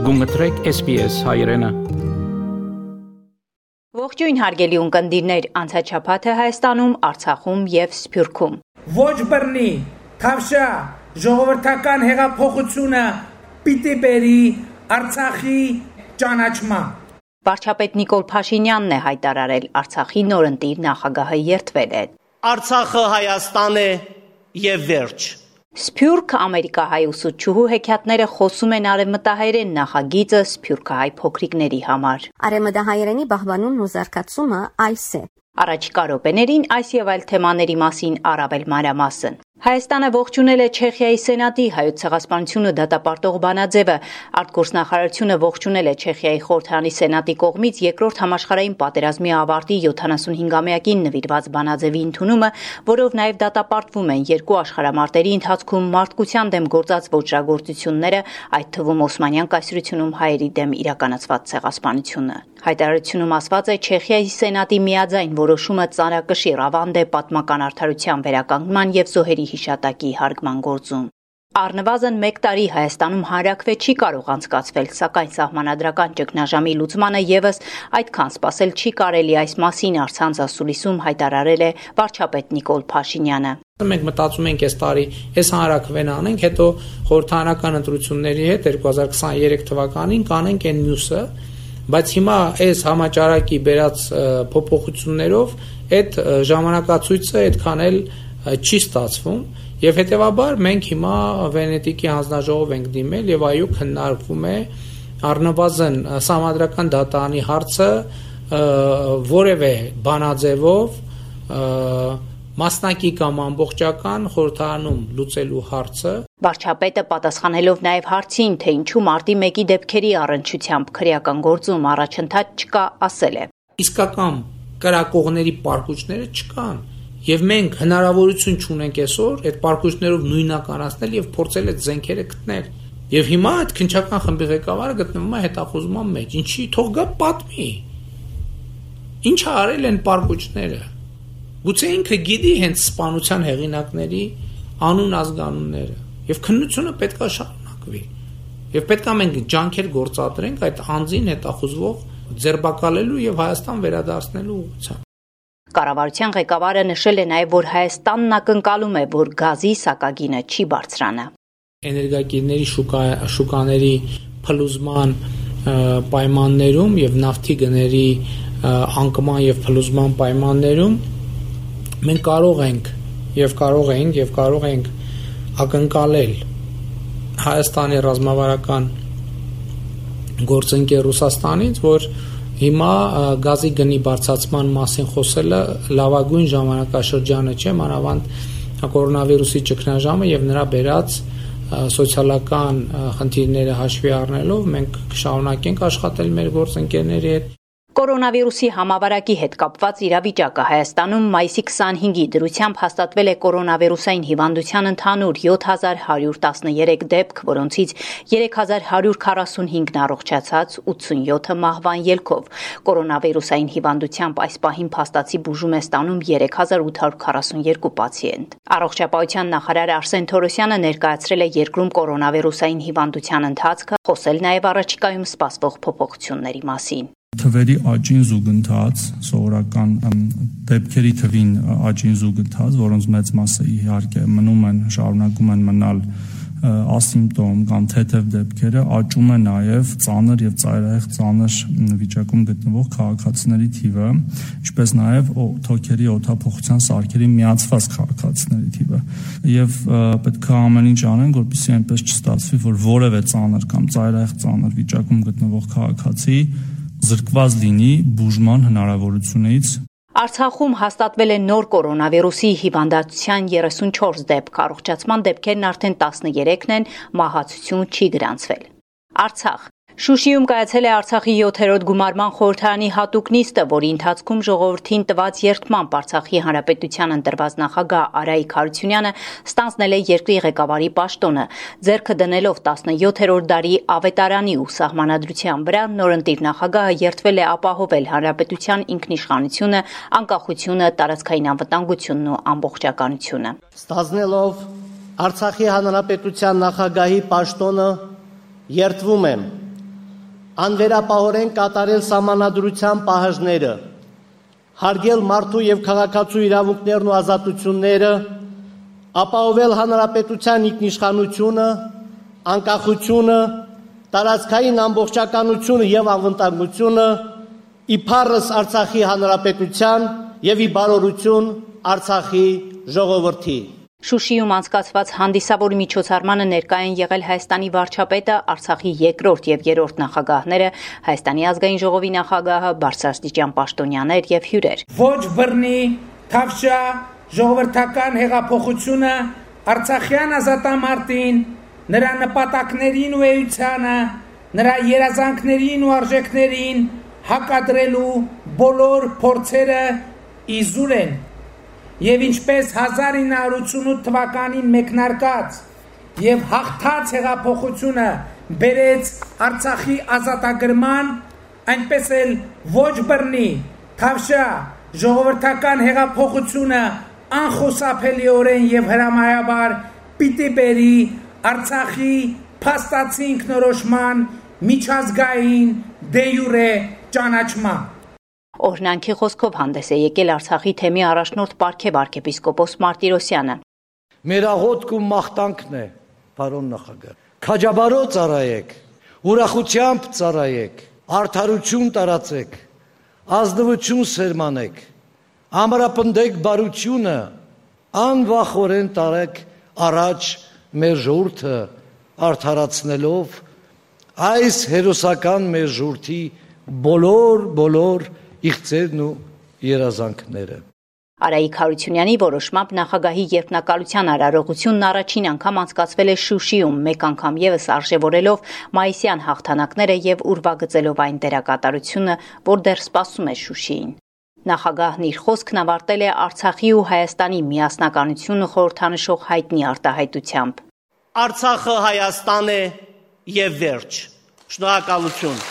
Գումտրեք SPS հայրենը։ Ողջույն հարգելի ունկնդիրներ, անցաչափաթը Հայաստանում, Արցախում եւ Սփյուռքում։ Ոչ բռնի, թավշա, ժողովրդական հեղափոխությունը պիտի բերի Արցախի ճանաչման։ Վարչապետ Նիկոլ Փաշինյանն է հայտարարել Արցախի նորընտիր նախագահը երդվել է։ Արցախը Հայաստան է եւ վերջ։ Սփյուռք ամերիկահայ ուսուցչուհու հեքիաթները խոսում են արևմտահայերեն նախագիծը սփյուռքահայ փոքրիկների համար։ Արևմտահայերենի բահբանումն ու զարգացումը այս է։ Առաջիկա րոպեներին այս եւ այլ թեմաների մասին առավել մանրամասն։ Հայաստանը ողջունել է Չեխիայի Սենատի հայոց ցեղասպանությունը դատապարտող բանաձևը։ Արտգործնախարարությունը ողջունել է Չեխիայի խորհրդարանի Սենատի կողմից երկրորդ համաշխարհային պատերազմի ավարտի 75-ամյակին նվիրված բանաձևի ընդունումը, որով նաև դատապարտվում են երկու աշխարհամարտերի ընթացքում մարդկության դեմ գործած ոճրագործությունները, այդ թվում Օսմանյան կայսրությունում հայերի դեմ իրականացված ցեղասպանությունը։ Հայտարարությունում ասված է Չեխիայի Սենատի միաձայն որոշումը ծանրակշիռ ավանդ է պատմական արդարության վերականգնման եւ զոհերի հիշատակի հարգման գործում։ Առնվազն 1 տարի Հայաստանում հանրաքվե չի կարող անցկացվել, սակայն սահմանադրական ճգնաժամի լուծմանը եւս այդքան սպասել չի կարելի, այս մասին առցանց ասուլիսում հայտարարել է վարչապետ Նիկոլ Փաշինյանը։ Մենք մտածում ենք այս տարի այս հանրաքվեն անենք, հետո խորհրդարանական ընտրությունների հետ 2023 թվականին կանենք այն մյուսը, բայց հիմա այս համաճարակի բերած փոփոխություններով այդ ժամանակացույցը այդքան էլ չի ստացվում եւ հետեւաբար մենք հիմա Վենետիկի հանձնաժողով ենք դիմել եւ այո քննարկվում է առնվազն սահմանադրական դատարանի հարցը որևէ բանաձևով մասնակի կամ ամբողջական խորհրդարանում լուծելու հարցը։ Վարչապետը պատասխանելով նաև հարցին, թե ինչու մարտի 1-ի դեպքերի առնչությամբ քրեական գործում առաջընթաց չկա, ասել է. Իսկական կրակողների պարկուճները չկան, եւ մենք հնարավորություն չունենք այսօր այդ պարկուճներով նույնականացնել եւ փորձել այդ զենքերը գտնել։ Եվ հիմա այդ քննչական խմբի ղեկավարը գտնվում է հետախուզման մեջ։ Ինչի թող գա պատմի։ Ինչ արել են պարկուճները։ Գուցե ինքը գիտի հենց սպանության հեղինակների անուն ազգանունները եւ քննությունը պետքա շարունակվի եւ պետքա մենք ջանքեր գործադրենք այդ անձին հետախուզվող ձերբակալելու եւ Հայաստան վերադարձնելու ուղղությամբ։ Կառավարության ղեկավարը նշել է նաեւ, որ Հայաստանն ակնկալում է, որ գազի սակագինը չի բարձրանա։ Էներգակիրների շուկաների փլուզման պայմաններում եւ նավթի գների անկման եւ փլուզման պայմաններում մենք կարող ենք ակնկալել Հայաստանի ռազմավարական գործընկեր Ռուսաստանից, որ հիմա գազի գնի բարձրացման մասին խոսելը լավագույն ժամանակաշրջանը չէ, մանավանդ կորոնավիրուսի ճգնաժամը եւ նրա բերած սոցիալական խնդիրները հաշվի առնելով մենք կշարունակենք աշխատել մեր գործընկերների հետ։ Կորոնավիրուսի համավարակի հետ կապված իրավիճակը Հայաստանում մայիսի 25-ի դրությամբ հաստատվել է կորոնավիրուսային հիվանդության ընդհանուր 7113 դեպք, որոնցից 3145-ն առողջացած, 87-ը մահվան ելքով։ Կորոնավիրուսային հիվանդությամբ այս պահին փաստացի բուժում է ստանում 3842 պացիենտ։ Առողջապահության նախարար Արսեն Թորոսյանը ներկայացրել է երկրում կորոնավիրուսային հիվանդության ընթացքը, խոսել նաև առաջիկայում սպասվող փոփոխությունների մասին։ Թվերի աճին զուգընթաց, սովորական դեպքերի թվին աճին զուգընթաց, որոնց մեծ մասը իհարկե շարունակում են մնալ ասիմպտոմ կամ թեթև դեպքերը, աճում է նաև ծանր եւ ծայրահեղ ծանր վիճակում գտնվող քաղաքացիների թիվը, ինչպես նաև թոքերի օդափոխության սարքերի միացված քաղաքացիների թիվը։ Եվ պետք է ամեն ինչ անենք, որպեսզի այնպես չստացվի, որ որևէ ծանր կամ ծայրահեղ ծանր վիճակում գտնվող քաղաքացի զրկված լինի բուժման հնարավորությունից։ Արցախում հաստատվել է նոր կորոնավիրուսի հիվանդության 34 դեպք, առողջացման դեպքերն արդեն 13-ն են, մահացություն չի գրանցվել։ Արցախ Շուշիում կայացել է Արցախի 7-րդ գումարման խորհրդարանի հատուկ նիստը, որի ընթացքում ժողովրդին տված երդմամբ Արցախի Հանրապետության ընտրված նախագահ Արայիկ Հարությունյանը ստանձնել է երկրի ղեկավարի պաշտոնը, ձեռքը դնելով 17-րդ դարի ավետարանի ու սահմանադրության վրա, նորընտիր նախագահը երդվել է ապահովել հանրապետության ինքնիշխանությունը, անկախությունը, տարածքային անվտանգությունն ու ամբողջականությունը։ Ստանձնելով Արցախի Հանրապետության նախագահի պաշտոնը երդվում եմ անվերապահորեն կատարել սահմանադրության պահանջները, հարգել մարդու եւ քաղաքացու իրավունքներն ու ազատությունները, ապահովել հանրապետության ինքնիշխանությունը, անկախությունը, տարածքային ամբողջականությունը եւ անվտանգությունը, իբարս Արցախի հանրապետության եւ ի բարօրություն Արցախի ժողովրդի։ Շուշիում անցկացված հանդիսավոր միջոցառմանը ներկայ են եղել Հայաստանի վարչապետը, Արցախի երկրորդ եւ երրորդ նախագահները, Հայաստանի ազգային ժողովի նախագահը, բարձրաստիճան պաշտոնյաներ եւ հյուրեր։ Ոչ բռնի, թավշյա, ժողովրդական հեղափոխությունը Արցախյան ազատամարտին, նրա նպատակներին ու էությանը, նրա երազանքներին ու արժեքներին հակադրելու բոլոր փորձերը իզուր են։ Եվ ինչպես 1988 թվականին մեկնարկած եւ հաղթած հեղափոխությունը բերեց Արցախի ազատագրման, այնպես էլ ոչ բռնի, թավշյա, ժողովրդական հեղափոխությունը անխուսափելիորեն եւ հրամայաբար պիտի բերի Արցախի փաստացի ինքնորոշման միջազգային դե յուրե ճանաչման։ Օրհնանքի խոսքով հանդես է եկել Արցախի թեմի առաջնորդ պարգև arczepiskopos Martirosyan-ը։ Մեր աղոթք ու մաղթանքն է, պարոն նախագահ։ Քաջաբարո ծառայեք, ուրախությամբ ծառայեք, արդարություն տարածեք, ազնվություն սերմանեք, ամրապնդեք բարությունը, անվախորեն տարեք առաջ մեր ժողովուրդը արդարացնելով այս հերոսական մեր ժողովրդի բոլոր իղձերն ու երազանքները։ Արայիկ Հարությունյանի որոշմամբ նախագահի երդմնակալության արարողությունն առաջին անգամ անցկացվել է Շուշիում, մեկ անգամ եւս արժեվորելով մայիսյան հաղթանակները եւ ուրվագծելով այն դերակատարությունը, որ դեռ սպասում է Շուշիին։ Նախագահն իր խոսքն ավարտել է Արցախի ու Հայաստանի միասնականությունը խորհրդանշող հայտնի արտահայտությամբ։ Արցախը Հայաստան է եւ վերջ։ Շնորհակալություն։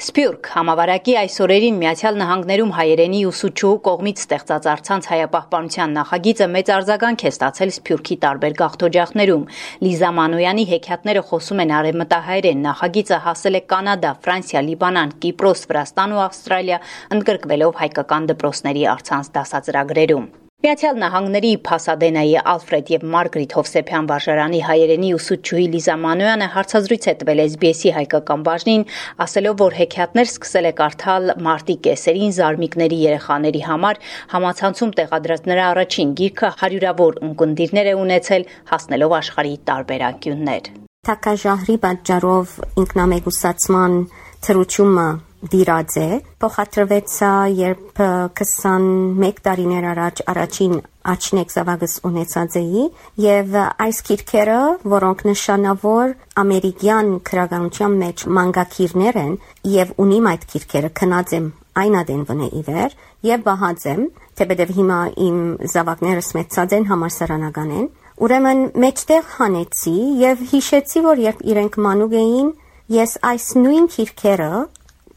Սփյուռք համավարակի այս օրերին Միացյալ Նահանգներում հայերենի ուսուցչուհու կողմից ստեղծած առցանց հայապահպանության նախագիծը մեծ արձագանք է ստացել Սփյուռքի տարբեր գաղթօջախներում։ Լիզա Մանոյանի հեքիաթները խոսում են արևմտահայերեն, նախագիծը հասել է Կանադա, Ֆրանսիա, Լիբանան, Կիպրոս, Վրաստան ու Ավստրալիա, ընդգրկվելով հայկական դպրոցների առցանց դասածրագրերում։ Միացյալ Նահանգների Փասադենայի Ալֆրեդ եւ Մարգրիտ Հովսեփյան վարժարանի հայերենի ուսուցչուհի Լիզա Մանոյանը հարցազրույց է տվել SBS-ի հայկական բաժնին, ասելով, որ հեքիաթներ սկսել է կարդալ մարտի կեսերին զարմիկների երեխաների համար, համացանցում տեղադրած նրա առաջին գիրքը հարյուրավոր ունկնդիրներ է ունեցել, հասնելով աշխարհի տարբեր անկյուններ։ Թակաժահրի պատճառով ինքնամեկուսացման թրությունը դիրած է, փոխադրվեց երբ 21 տարիներ առաջ առաջին աչնեկ զավակս ունեցած էի եւ այս գիրքերը, որոնք նշանավոր ամերիկյան քրագանության մեջ մանգակիրներ են եւ ունիմ այդ գիրքերը քնած եմ այն ադենվնե իվեր եւ բահած եմ, թեպետեւ հիմա իմ զավակներս մեծած են համալսարանական են, ուրեմն մեջտեղ հանեցի եւ հիշեցի, որ երբ իրենք մանուկ էին, ես այս նույն գիրքերը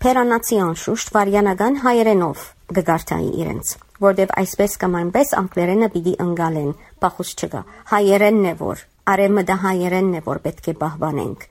Պերանացի անշուշտ վարյանական հայերենով գգարտայի իրենց, որտեվ այսպես կամ այնպես անգլերենը պիտի ընկալեն, պախուս չկա, հայերենն է որ, արևմտահայերենն է որ պետք է պահպանենք։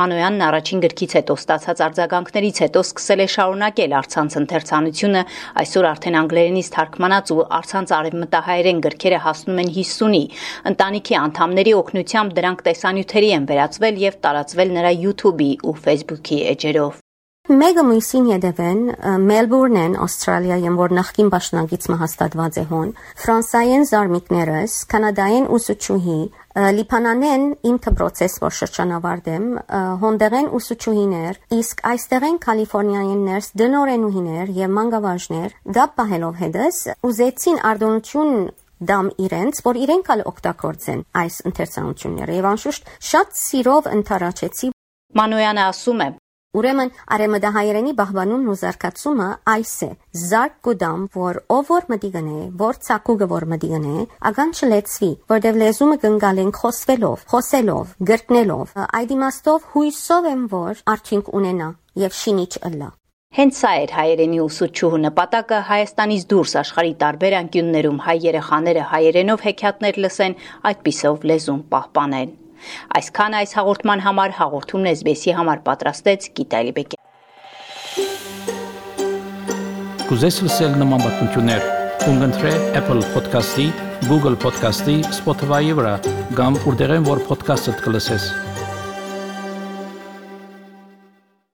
Մանոյանն առաջին գրքից հետո ստացած արձագանքներից հետո սկսել է շարունակել առցանց ընթերցանությունը, այսօր արդեն անգլերենից թարգմանած ու առցանց արևմտահայերեն գրքերը հասնում են 50-ի, ընտանիքի անդամների օգնությամբ դրանք տեսանյութերի են վերածվել եւ տարածվել նրա YouTube-ի ու Facebook-ի էջերով։ Մեգա մույսին յետևեն Մելբուրնեն, Ավստրալիայում, որ նախկին պաշտոնագից հաստատված է հոն, ֆրանսայեն զարմիկներս, կանադայեն ուսուցչուհի, լիբանանեն իմ դպրոցես, որ շրջանավարտեմ, հոնդեղեն ուսուցչուհիներ, իսկ այստեղեն կալիֆոռնիայիններս դնորենուհիներ եւ մանկավարժներ, դապ պահելով հետս, ուզեցին արտոնություն դամ իրենց, որ իրենք ալ օգտագործեն այս ընթերցանությունները եւ անշուշտ շատ սիրով ընթարաչեցի։ Մանոյանը ասում է. Ուրեմն արևմտահայերենի բահբանումն ու զարգացումը այս է. զարգ կուդամ, որ ով որ մտի գնե, որ ցակուգը որ մտի գնե, ագան չլեցվի, որտեվ լեզումը կընկալենք խոսելով, գրտնելով։ Այդ իմաստով հույսով եմ, որ արդյունք ունենա եւ շինիչ ըլլա։ Հենց սա էր հայերենի ուսուցչուհու նպատակը Հայաստանից դուրս աշխարհի տարբեր անկյուններում հայ երեխաները հայերենով հեքիաթներ լսեն, այդպիսով լեզուն պահպանեն։ Այսքան այս հաղորդման համար հաղորդումն SBS-ի համար պատրաստեց Գիտա Լիբեկյան։ Կուզես լսել նման բանություններ, կընտրե Apple Podcast-ի, Google Podcast-ի, Spotify-ի վրա, կամ որտեղեն որ podcast-ը կլսես։